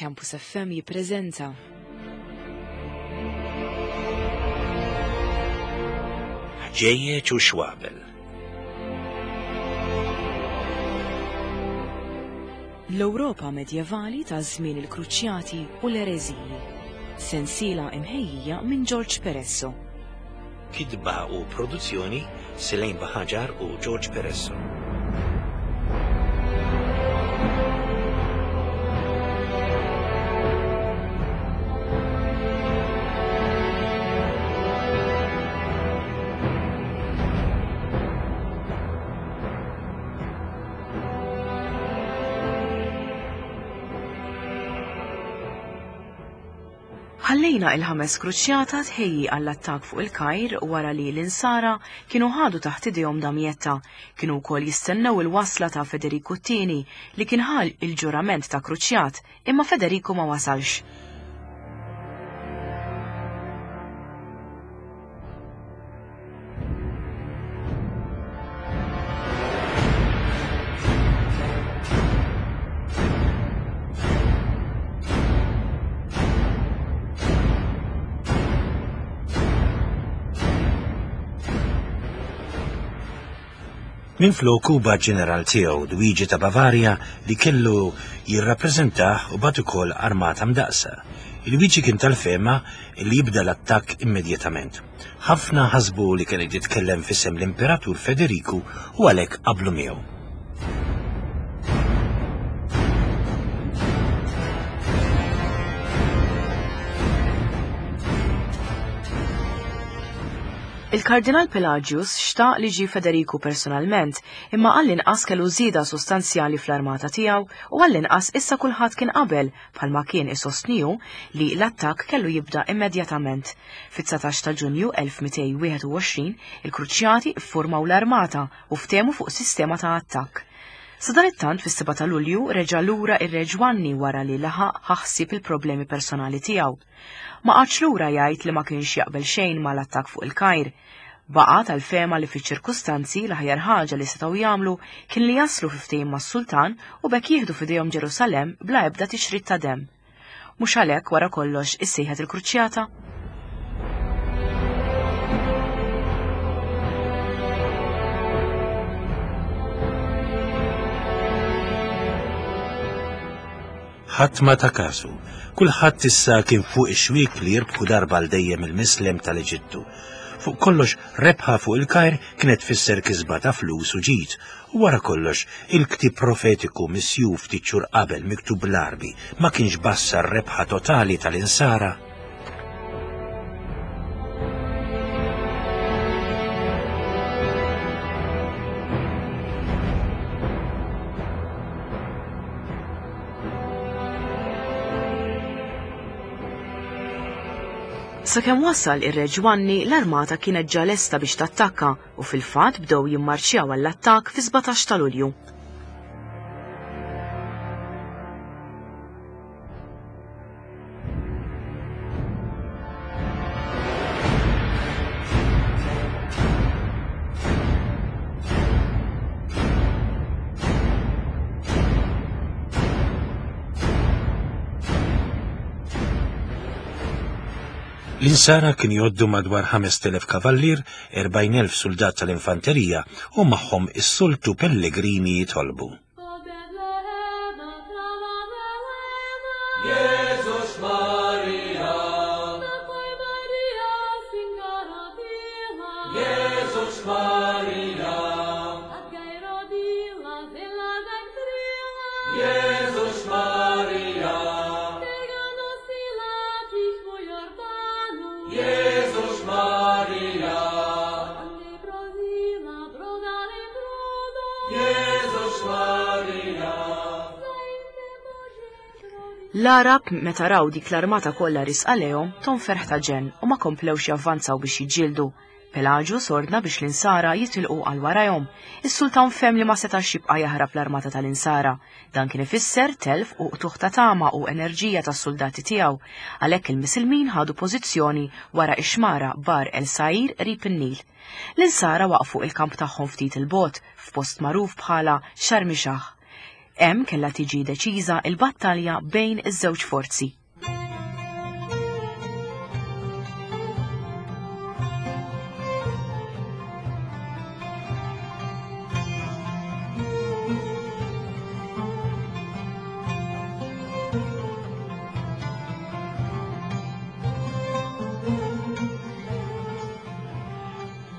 Campus FM jippreżenta. Ħġejjeġ u xwabel. L-Ewropa medjevali ta' żmien il-Kruċjati u l-Ereżiji. Sensiela imħejjija minn George Peresso. Kitba u produzzjoni Selain Baħaġar u George Peresso. Ħallejna il-ħames kruċjata tħejji għall-attakk fuq il-Kajr wara li l-Insara kienu ħadu taħt idejhom Damietta. Kienu wkoll jistennew il-wasla ta' Federiku t-Tieni li kien ħa l-ġurament ta' kruċjat, imma Federiku ma wasalx. Minfloku bagħat ġeneral tiegħu, Luigi ta' Bavaria, li kellu jirrappreżentah u bagħat ukoll armata mdaqqsa. Luigi kien tal-fehma li jibda l-attakk immedjatament. Ħafna ħasbu li kien qed jitkellem f'isem l-Imperatur Federiku u għalhekk qablu miegħu. Il-Kardinal Pelagius xtaq li ġie Federiku personalment, imma għall-inqas kellu żieda sostanzjali fl-armata tiegħu u għall-inqas issa kulħadd kien qabel bħalma kien isostni hu, li l-attakk kellu jibda immedjatament. Fit-19 ta' Ġunju 1221, il-Kruċjati ffurmaw l-armata u ftehmu fuq sistema ta' attakk. Sadanittant fis-7 ta' Lulju reġa' lura ir-Re Ġwanni wara li laħaq ħa ħsieb il-problemi personali tiegħu. Ma qagħadx lura jgħid li ma kienx jaqbel xejn mal-attakk fuq il-Kajr. Baqa' tal-fehma li fiċ-ċirkustanzi l-aħjar ħaġa li setgħu jagħmlu kien li jaslu fi ftehim mas-sultan u b'hekk jieħdu f'idejhom Ġerusalemm bla ebda tixrid ta' demm. Mhux għalhekk wara kollox issejħet il-Kruċjata? Ħadd ma ta kasu. Kulħadd issa kien fuq ix-xwiek li jirbħu darba għal dejjem il-mislem tal-Eġittu. Fuq kollox, rebħa fuq il-Kajr kienet tfisser kisba ta' flus u ġid, u wara kollox, il-ktieb profetiku misjuf ftit xhur qabel miktub bl-Għarbi ma kienx bassar rebħa totali tal-Insara? Sakemm wasal ir-Re Ġwanni, l-armata kienet ġa lesta biex tattakka u fil-fatt bdew jimmarċjaw għall-attakk fi-17 ta' Lulju. L-insara kien jgħoddu madwar 5,000 kavallier, 40,000 suldat tal-infanterija u magħhom is-soltu pellegrini jitolbu. L-Għarab meta raw dik l-armata kollha risqa lejhom tom ferħ ta' ġenn u ma komplewx javvanzaw biex jiġġieldu. Pelagius ordna biex l-Insara jitilqu għal warajhom. Is-sultan fehem li ma setax jibqa' jaħrab l-armata tal-Insara. Dan kien ifisser telf u qtugħ ta' tama u enerġija tas-suldati tiegħu. Għalhekk il-Misilmin ħadu pożizzjoni wara x-xmara Bar el Sa'ir qrib in-Nil. L-Insara waqqfu il-kamp tagħhom ftit 'il bogħod, f'post magħruf bħala Xarmixah. Hemm kellha tiġi deċiża l-battalja bejn iż-żewġ forzi.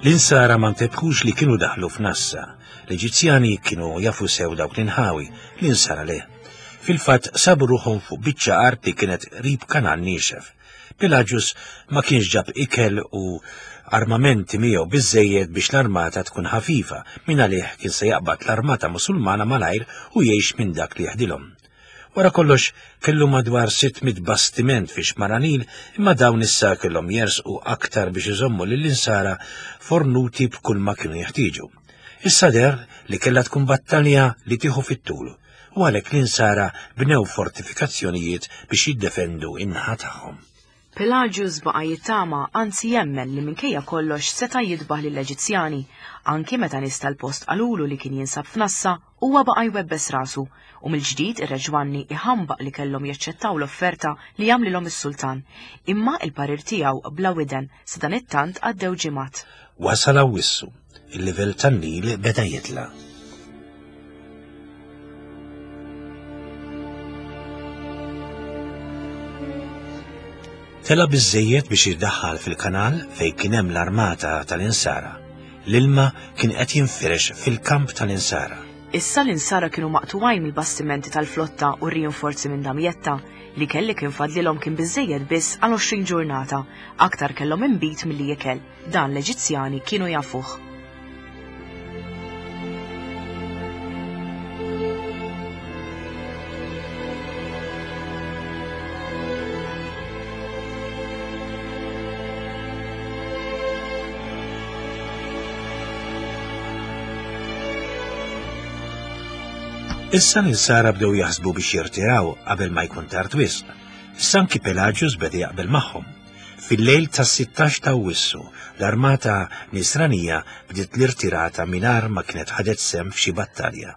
L-insara ma ntebħux li kienu daħlu f'nassa. L-Eġizzjani kienu jafu sew dawk l-inħawi, l-insara le. Fil-fatt sabu ruħhom fuq biċċa art li kienet qrib kanal niexef. Pelagius ma kienx ġab ikel u armamenti miegħu biżżejjed biex l-armata tkun ħafifa, mingħalih kien se jaqbad l-armata Musulmana malajr u jgħix minn dak li jeħdilhom. Wara kollox, kellu madwar 600 bastiment fi xmara Nil, imma dawn issa kellhom jersqu aktar biex iżommu lill-Insara fornuti b'kulma kienu jeħtieġu. Issa deher li kellha tkun battalja li tieħu fit-tul, u għalhekk l-Insara bnew fortifikazzjonijiet biex jiddefendu in-naħa tagħhom. Pelagius baqa' jittama, anzi jemmen li minkejja kollox seta' jidbaħ lill-Eġizzjani. Anki meta nies tal-post qalulu li kien jinsab f'nassa, huwa baqa' jwebbes rasu, u mill-ġdid ir-Re Ġwanni iħambaq li kellhom jaċċettaw l-offerta li għamlilhom is-sultan. Imma il-parir tiegħu bla widen, sadanittant għaddew ġimgħat. Wasal Awwissu. Il-livell tan-Nil beda jitla'. Tela' biżżejjed biex jiddaħħal fil-kanal fejn kien hemm l-armata tal-Insara. L-ilma kien qed jinfirex fil-kamp tal-Insara. Issa l-Insara kienu maqtugħin mill-bastimenti tal-flotta u r-rinforzi minn Damietta. L-ikel li kien fadlilhom kien biżżejjed biss għal 20 ġurnata. Aktar kellhom inbid milli ikel. Dan l-Eġizzjani kienu jafuh. Issa l-insara bdew jaħsbu biex jirtiraw qabel ma jkun tard wisq. Issa anki Pelagius beda jaqbel magħhom. Fil-lejl tas-sittax ta' Awwissu, l-armata Nisranija bdiet l-irtirata mingħajr ma kienet ħadet sehem f'xi battalja.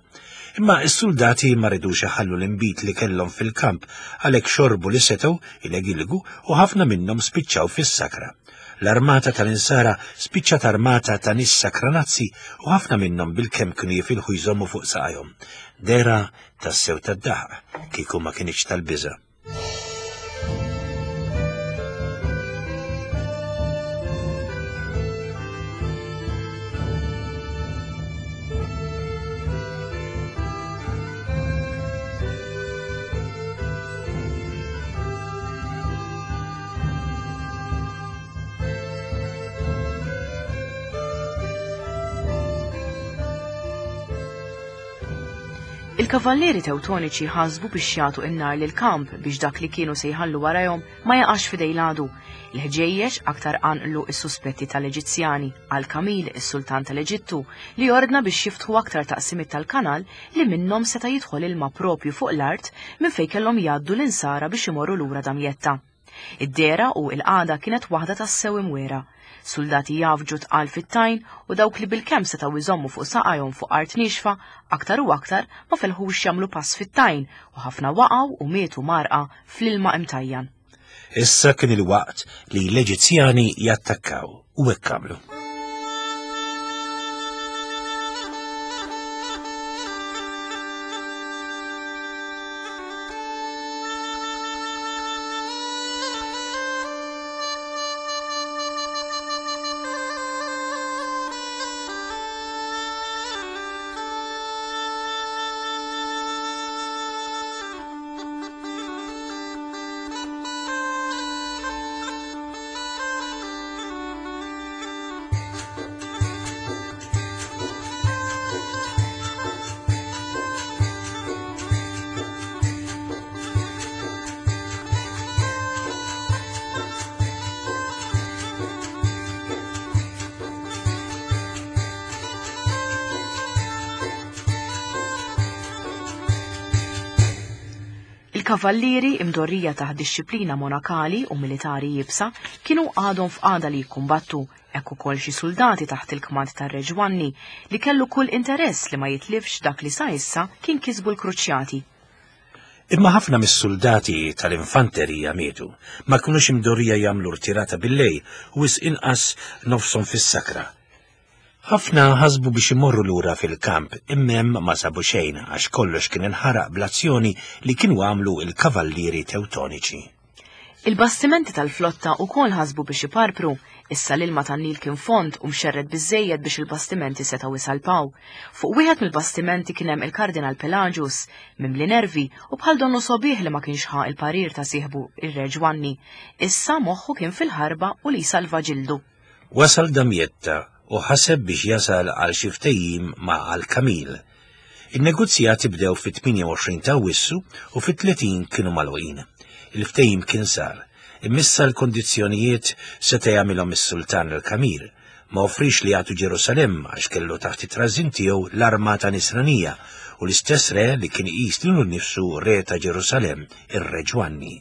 Imma s-suldati ma ridux iħallu l-inbid li kellhom fil-kamp, għalhekk xorbu li setgħu, ilegilgu, u ħafna minnhom spiċċaw fis-sakra. L-armata tal-Insara spiċċat armata ta' nies sakranazzi u ħafna minnhom bilkemm kienu jifilħu jżommu fuq saqajhom. Dehra tassew tad-daħq, kieku ma kinitx tal-biża'. Il-Kavallieri Tewtoniċi ħasbu biex jagħtu n-nar lill-kamp biex dak li kienu se jħallu warajhom ma jaqax f'idej l-għadu. Il-ħġejjeġ aktar qanqlu s-suspetti tal-Eġizzjani għal Kamil, is-sultan tal-Eġittu, li ordna biex jiftħu aktar taqsimiet tal-kanal li minnhom seta' jidħol ilma proprju fuq l-art minn fejn kellhom jgħaddu l-Insara biex imorru lura Damjetta. Id-dehra u l-qagħda kienet waħda tassew imwiegħra. Suldati jgħaffġu tqal fit-tajn u dawk li bilkemm setgħu jżommu fuq saqajhom fuq art niexfa, aktar u aktar ma felħux jagħmlu pass fit-tajn u ħafna waqgħu u mietu mgħarrqa fl-ilma imtajjan. Issa kien il-waqt li l-Eġizzjani jattakkaw u hekk għamlu. Il-kavallieri, imdorrija taħt dixxiplina monakali u militari iebsa, kienu għadhom f'qagħda li jikkumbattu, hekk ukoll xi suldati taħt il-kmand tar-Re Ġwanni, li kellu kull interess li ma jitlifx dak li sa issa kien kisbu l-Kruċjati. Imma ħafna mis-suldati tal-infanterija mietu, ma kinux imdorrija jagħmlu rtirata billejl u wisq inqas nofshom fis-sakra. Ħafna ħasbu biex imorru lura fil-kamp imma hemm ma sabu xejn għax kollox kien inħaraq bl-azzjoni li kienu għamlu l-kavallieri Tewtoniċi. Il-bastimenti tal-flotta wkoll ħasbu biex iparpru, issa l-ilma tan-Nil kien fond u mxerred biżżejjed biex il-bastimenti setgħu jsalpaw. Fuq wieħed mill-bastimenti kien hemm il-Kardinal Pelagius, mimli nervi u bħal donnu sogħbih li ma kienx ħa l-parir ta' sieħbu ir-Re Ġwanni. Issa moħħu kien fil-ħarba u li jsalva ġildu. Wasal Damietta u ħaseb biex jasal għal xi ftehim ma' Al-Kamil. In-negozjati bdew fit-28 ta' Awwissu u fit-30 kienu magħluqin. Il-ftehim kien sar, imma issa l-kondizzjonijiet seta' jagħmilhom is-Sultan Al-Kamil. Ma offriex li jagħtu Ġerusalemm għax kellu taħt it-trażżin tiegħu l-armata Nisranija u l-istess re li kien iqis lilu nnifsu re ta' Ġerusalemm, ir-Re Ġwanni.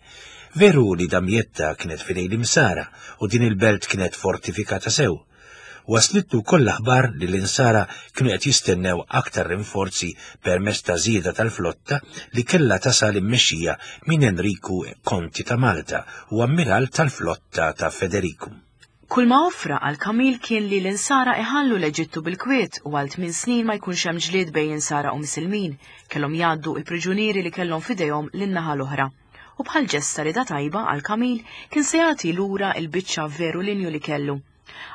Veru li Damietta kienet f'idejn l-Imsara u din il-belt kienet fortifikata sew. Waslitlu wkoll l-aħbar li l-Insara kienu qed jistennew aktar rinforzi permezz ta' żieda tal-flotta li kellha tasal immexxija minn Enriku Konti ta' Malta u ammiral tal-flotta ta' Federiku. Kull ma offra għal Kamil kien li l-Insara iħallu l-Eġittu bil-kwiet u għal tmien snin ma jkunx hemm ġlied bejn Insara u Misilmin, kellhom jgħaddu l-priġunieri li kellhom f'idejhom lin-naħa l-oħra. U bħal ġest ta' rieda tajba għal Kamil kien se jagħti lura l-biċċa veru linju li kellu.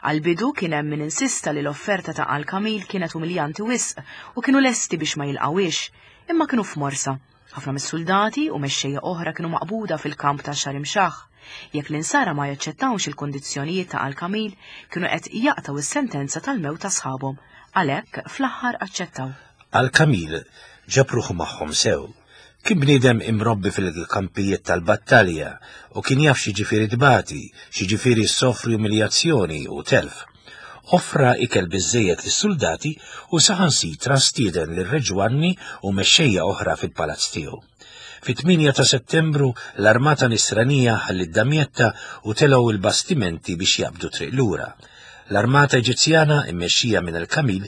Għall-bidu kien hemm min insista li l-offerta ta' Al Kamil kienet umiljanti wisq u kienu lesti biex ma jilqgħuhiex, imma kienu f'morsa. Ħafna mis-suldati u mexxejja oħra kienu maqbuda fil-kamp ta' Sharimshah. Jekk l-Insara ma jaċċettawx il-kundizzjonijiet ta' Al-Kamil, kienu qed jaqtgħu s-sentenza tal-mewt ta' sħabhom. Għalhekk, fl-aħħar aċċettaw. Al-Kamil ġab ruħu magħhom sew. Kien bniedem imrobbi fil-kampijiet tal-battalja u kien jaf x'jiġifieri tbati, x'jiġifieri ssofri umiljazzjoni u telf. Offra ikel biżżejjed lis-suldati u saħansitra stieden lir-Re Ġwanni u mexxejja oħra fil-palazz tiegħu. Fit-8 ta' Settembru l-armata Nisranija ħalliet Damietta u telgħu l-bastimenti biex jaqbdu triq lura. L-armata Eġizzjana immexxija minn El-Kamil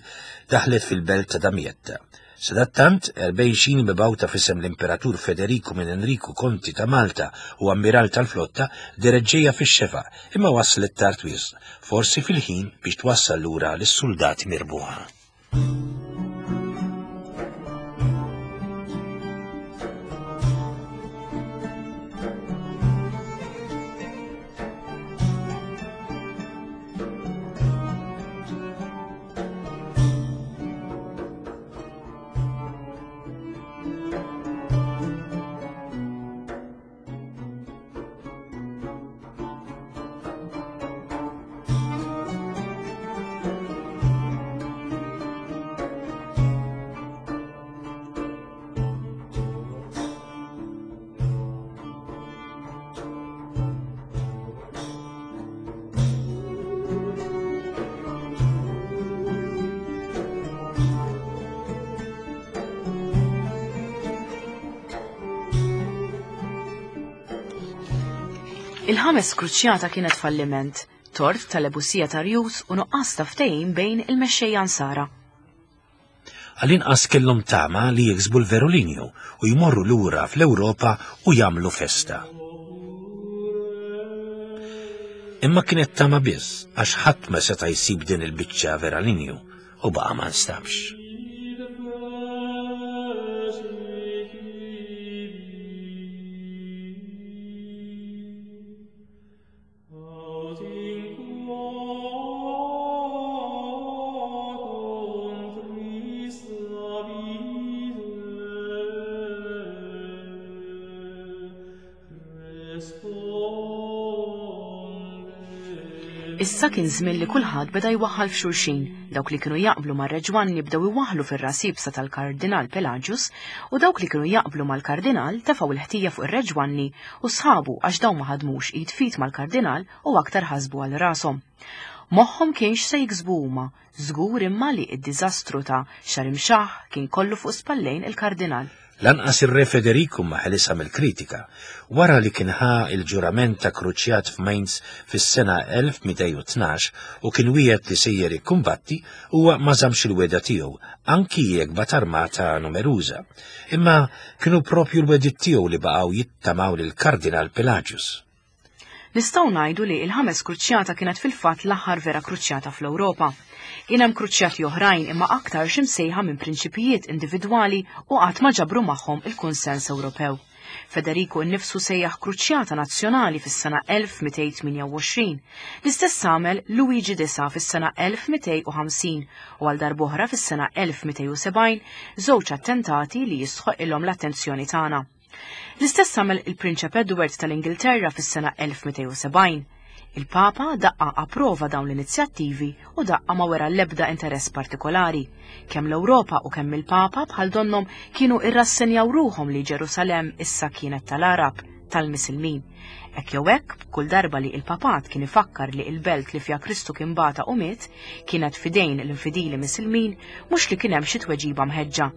daħlet fil-belt ta' Damietta. Sadattant, 40 xini mibgħuta f'isem l-Imperatur Federiku minn Enriku Konti ta' Malta u Ammiral tal-Flotta dehret ġejja fix-xefaq, imma waslet tard wisq, forsi fil-ħin biex twassal lura lis-suldati mirbuħa. Il-ħames kruċjata kienet falliment, tort tal-ebusija ta' rjus u nuqqas ta' ftehim bejn il-mexxejja Nsara. Għall-inqas kellhom tama li jiksbu l-veru linju u jmorru lura fl-Ewropa u jagħmlu festa. Imma kienet tama biss għax ħadd ma seta' jsib din il-biċċa vera linju u baqa' ma nstabx. Issa kien żmien li kulħadd beda jwaħħal f'xulxin. Dawk li kienu jaqblu mar-Re Ġwanni bdew iwaħħlu fir-ras iebsa tal-Kardinal Pelagius u dawk li kienu jaqblu mal-Kardinal tefgħu l-ħtija fuq ir-Re Ġwanni u sħabu għax dawn ma ħadmux id f'id mal-Kardinal u aktar ħasbu għal rashom. Moħħhom kien x'se jiksbu huma, żgur imma li d-diżastru ta' Sharimshah kien kollu fuq spallejn il-Kardinal. Lanqas ir-Re Federiku ma ħelisha mill-kritika. Wara li kien ħa l-ġurament ta' kruċjat f'Mainz fis-sena 1212 u kien wiegħed li sejjer ikkumbatti, huwa ma żammx il-wegħda tiegħu, anki jekk bagħat armata numeruża. Imma kienu propju l-wegħdiet tiegħu li baqgħu jittamaw lill-Kardinal Pelagius. Nistgħu ngħidu li l-ħames kruċjata kienet fil-fatt l-aħħar vera kruċjata fl-Ewropa. Kien hemm kruċjati oħrajn imma aktarx imsejħa minn prinċipijiet individwali u qatt ma ġabru magħhom il-kunsens Ewropew. Federiku nnifsu sejjaħ kruċjata nazzjonali fis-sena 1228. L-istess għamel Luigi IX fis-sena 1250 u għal darb'oħra fis-sena 1270, żewġ attentati li jistħoqqilhom l-attenzjoni tagħna. L-istess għamel il-Prinċep Edward tal-Ingilterra fis-sena 1270. Il-Papa daqqa approva dawn l-inizjattivi u daqqa ma wera l-ebda interess partikolari. Kemm l-Ewropa u kemm il-Papa bħal donnhom kienu irrassenjaw ruħhom li Ġerusalemm issa kienet tal-Għarab, tal-Misilmin. Hekk jew hekk, kull darba li il-Papat kien ifakkar li il-belt li fiha Kristu kien bata u miet kienet fidejn l-infidili Misilmin, mhux li kien hemm xi tweġiba mħeġġa.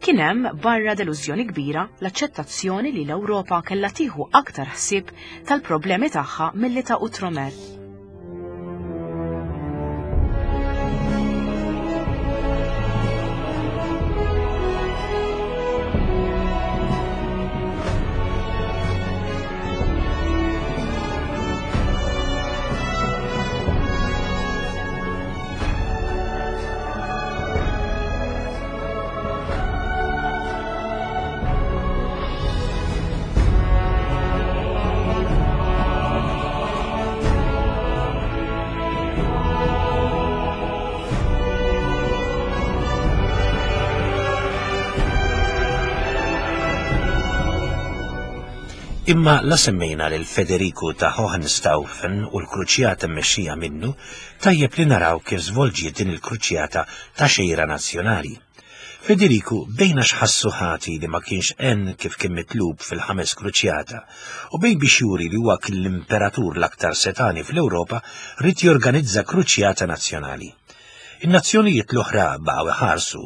Kien hemm, barra delużjoni kbira, l-aċċettazzjoni li l-Ewropa kellha tieħu aktar ħsieb tal-problemi tagħha milli ta' Outremer. Imma la semmejna lil Federiku ta' Hohenstaufen u l-kruċjata mmexxija minnu, tajjeb li naraw kif żvolġiet din il-kruċjata ta' xejra nazzjonali. Federiku bejn għax ħassu ħati li ma kienx għen kif kien mitlub fil-ħames kruċjata u bejn biex juri li huwa kien l-imperatur l-aktar setgħani fl-Ewropa ried jorganizza kruċjata nazzjonali. In-nazzjonijiet l-oħra baqgħu iħarsu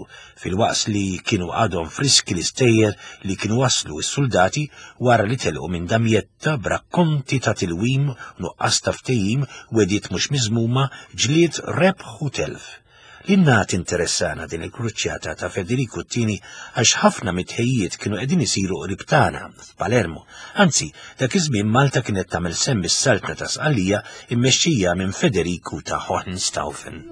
filwaqt li kienu għadhom friski l-istejjer li kienu waslu s-suldati wara li telqu minn Damietta b'rakkonti ta' tilwim, nuqqas ta' ftehim, wegħdiet mhux miżmuma, ġlied, rebħ u telf. Lilna tinteressana din il-kruċjata ta' Federiku t-Tieni għax ħafna mit-tħejjiet kienu qegħdin isiru qrib tagħna, f'Palermo. Anzi, dak iż-żmien Malta kienet tagħmel sehem mis-Saltna ta' Sqallija mmexxija minn Federiku ta' Hohenstaufen.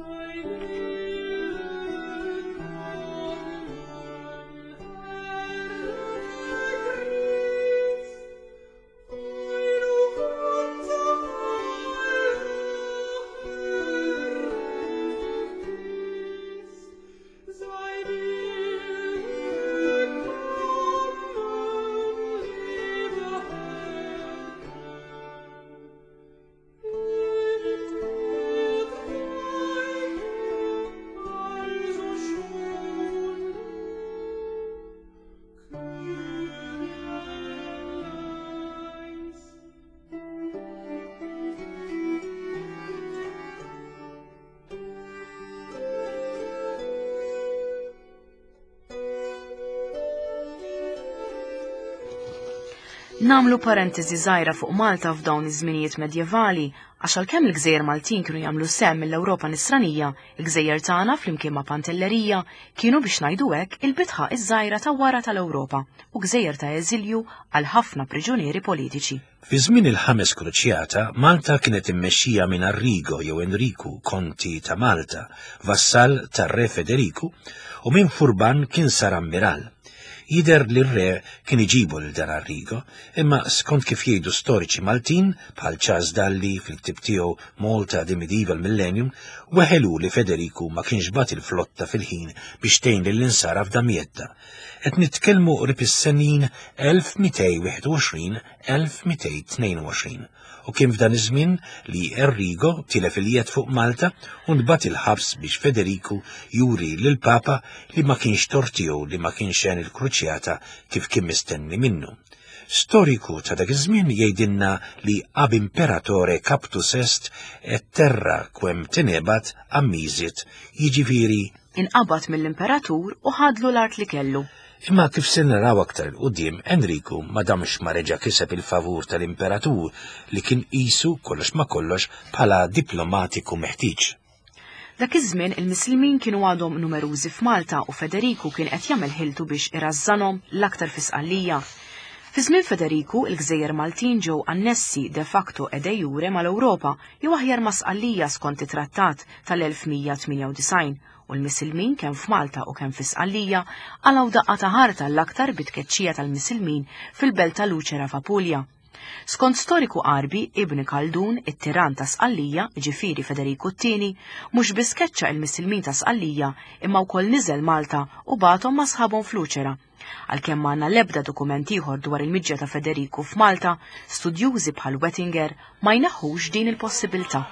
Namlu parentesi żgħira fuq Malta f'dawn iż-żminijiet medjevali, għax għalkemm il-gżejjer Maltin kienu jagħmlu sehem mill-Ewropa Nisranija, il-gżejjer tagħna flimkien ma' Pantellerija kienu biex ngħidu hekk il-bitħa iż-żgħira ta' wara tal-Ewropa u gżejjer ta' eżilju għal ħafna priġunieri politiċi. Fi żmien il-Ħames Kruċjata, Malta kienet immexxija minn Arrigo jew Enriku, Konti ta' Malta, vassall tar-Re Federiku, u minn Furban kien sar ammiral. Jidher li r-re kien iġibu lil dan Arrigo, imma skont kif jgħidu storiċi Maltin, bħal Charles Dalli fil-ktieb tiegħu Malta the Medieval Millennium, weħel hu li Federiku ma kienx bagħat il-flotta fil-ħin biex tgħin lill-Insara f'Damietta. Qed nitkellmu qrib is-senin 1221-1222 u kien f'dan iż-żmien li Enrigo tilef il-jedd fuq Malta u ntbagħat il-ħabs biex Federiku juri lill-Papa li ma kienx tort tiegħu li ma kienx għen il-kruċjata kif kien mistenni minnu. Storiku ta' dak iż-żmien jgħidilna li ab imperatore captus est et terra quem tenebat ammisit, jiġifieri Inqabad mill-imperatur u ħadlu l-art li kellu. Imma kif se naraw aktar 'il quddiem, Enriku ma damx ma reġa' kiseb il-favur tal-Imperatur li kien qisu, kollox ma' kollox, bħala diplomatiku meħtieġ. Dak iż-żmien il-Misilmin kienu għadhom numerużi f'Malta u Federiku kien qed jagħmel ħiltu biex irażżanhom l-aktar fi Sqallija. Fi żmien Federiku, il-gżejjer Maltin ġew annessi de facto e de jure mal-Ewropa jew aħjar ma' Sqallija skont it-Trattat tal-1198 u l-Misilmin kemm f'Malta u kemm fi Sqallija qalgħu daqqa ta' ħarta l-aktar bit-tkeċċija tal-Misilmin fil-belt ta' Lucera f'Apulja. Skont storiku Għarbi, Ibn Khaldun, it-tirann ta' Sqallija, jiġifieri Federiku t-Tieni, mhux biss keċċa il-Misilmin ta' Sqallija imma wkoll niżel Malta u bagħathom ma' sħabhom f'Luċera. Għalkemm m'għandna l-ebda dokument ieħor dwar il-miġja ta' Federiku f'Malta, studjużi bħal Wettinger ma jneħħux din il-possibilità.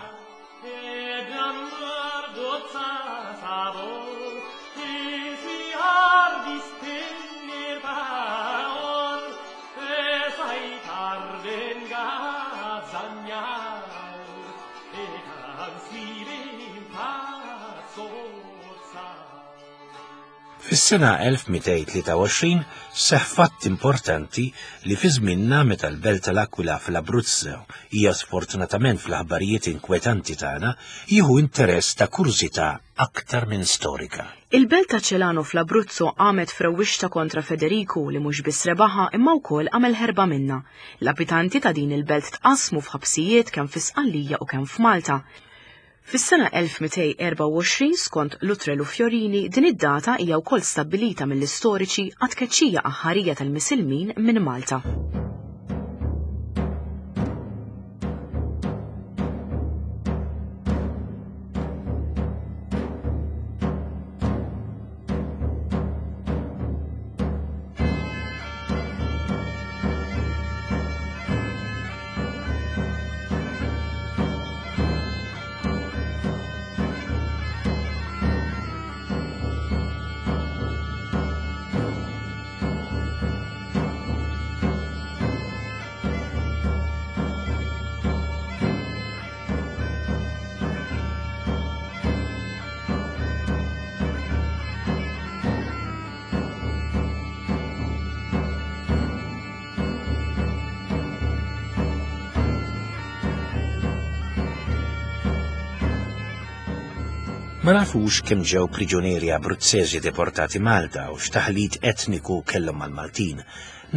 Fis-sena 1223 seħħ fatt importanti li fi żmienna meta l-belt tal-Aquila fl-Abruzzo hija sfortunatament fl-aħbarijiet inkwetanti tagħna, jieħu interess ta' kurżità aktar minn storika. Il-belt ta' Celano fl-Abruzzo qamet f'rewwixta kontra Federiku li mhux biss rebaħha imma wkoll għamel ħerba minnha. L-abitanti ta' din il-belt tqassmu f'ħabsijiet kemm fi Sqallija u kemm f'Malta. Fis-sena 1224, skont Luttrell u Fiorini, din id-data hija wkoll stabbilita mill-istoriċi għat-tkeċċija aħħarija tal-Misilmin minn Malta. Ma nafux kemm ġew priġunieri Abruzzesi deportati Malta u x'taħlit etniku kellhom mal-Maltin.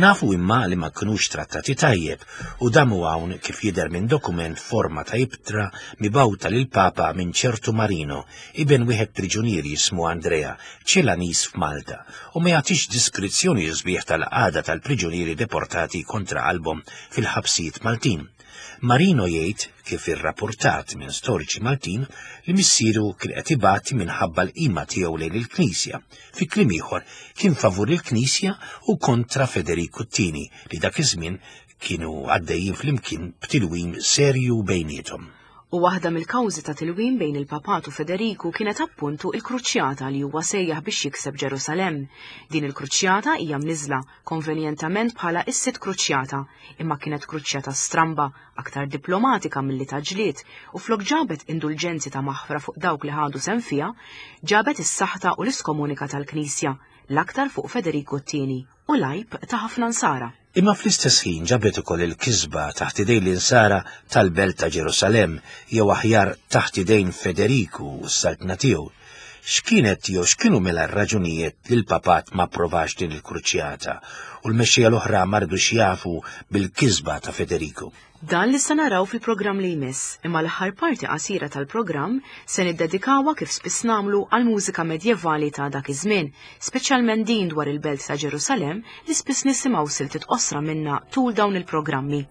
Nafu imma li ma kinux trattati tajjeb u damu hawn kif jidher minn dokument forma ta' ibtra mibgħuta lill-Papa minn ċertu Marino, iben wieħed priġunier jismu Andrea, Ċelaniż f'Malta, u ma jagħtix diskrizzjoni sbieħ tal-qagħda tal-priġunieri deportati kontra qalbhom fil-ħabsijiet Maltin. Marino jgħid, kif irrapportat minn storiċi Maltin, li missieru kien qed ibati minħabba l-qima tiegħu lejn il-Knisja. Fi kliem ieħor, kien favur il-Knisja u kontra Federiku t-Tieni li dak iż-żmien kienu għaddejjin flimkien b'tilwim serju bejniethom. U waħda mill-kawżi ta' tilwim bejn il-Papat u Federiku kienet appuntu il-kruċjata li huwa sejjaħ biex jikseb Ġerusalemm. Din il-kruċjata hija mniżżla konvenjentament bħala is-sitt kruċjata, imma kienet kruċjata stramba, aktar diplomatika milli ta' ġlied, u flok ġabet indulġenzi ta' maħfra fuq dawk li ħadu sehem fiha, ġabet is-saħta u l-iskomunika tal-Knisja, l-aktar fuq Federiku t-Tieni, u l-għajb ta' ħafna Nsara. Imma fl-istess ħin ġabet ukoll il-kisba taħt idejn l-Insara tal-belt ta' Ġerusalemm, jew aħjar taħt idejn Federiku u s-saltna tiegħu. X'kienet jew x'kienu mela r-raġunijiet li l-Papat ma approvax din il-kruċjata u l-mexxejja l-oħra ma ridux jafu bil-kisba ta' Federiku? Dan li se naraw fil-programm li jmiss, imma l-aħħar parti qasira tal-programm se niddedikawha kif spiss nagħmlu għall-mużika medjevali ta' dak iż-żmien, speċjalment din dwar il-belt ta' Ġerusalemm li spiss nisimgħu siltiet qosra minnha tul dawn il-programmi.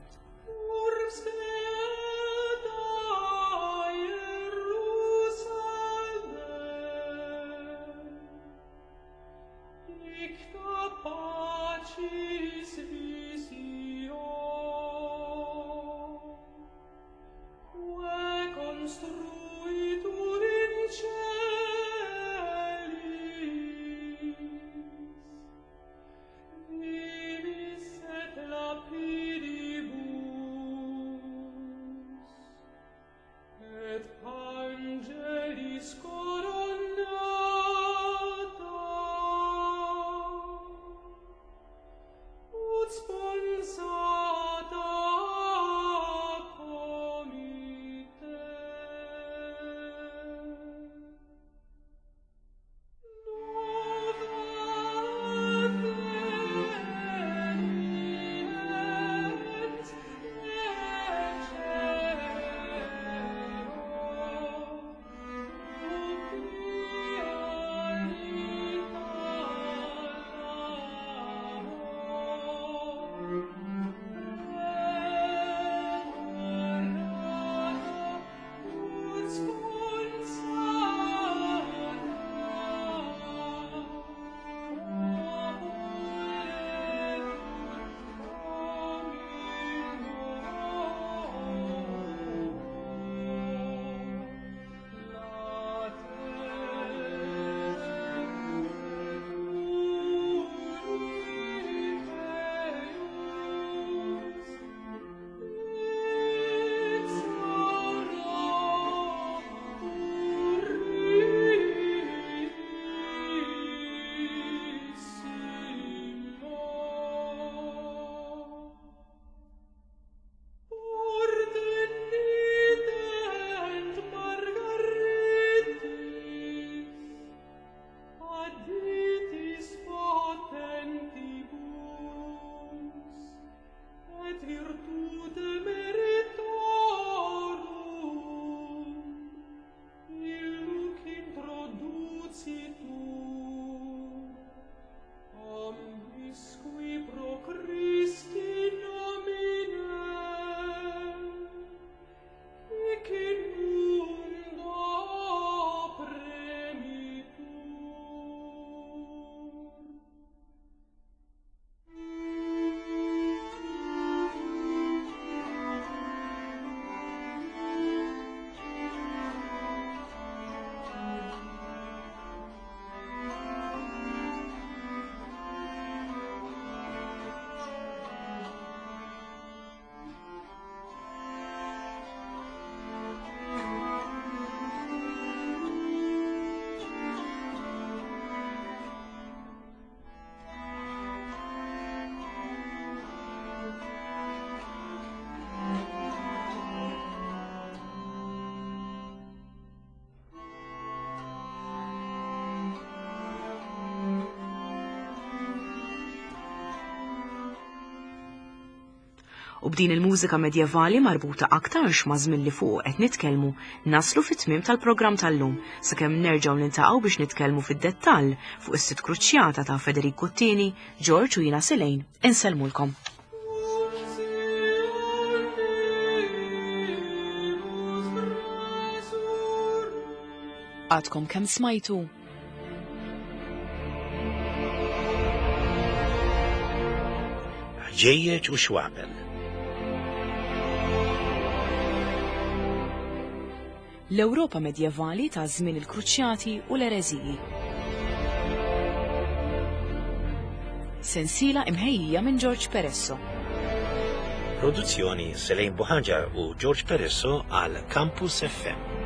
U b'din il-mużika medjevali marbuta aktarx ma' żmien li fuqu qed nitkellmu, naslu fit-tmiem tal-programm tal-lum, sakemm nerġgħu niltaqgħu biex nitkellmu fid-dettall fuq is-sitt kruċjata ta' Federiku t-Tieni, George u jiena Selejn, insellmulkom. Għadkom kemm smajtu Ħġejjeġ u xwabel. L-Ewropa medjevali ta' żmien il-Kruċjati u l-Ereżiji. Sensiela imħejjija minn George Peresso. Produzzjoni Selejn Buħanġar u George Peresso għal Campus FM.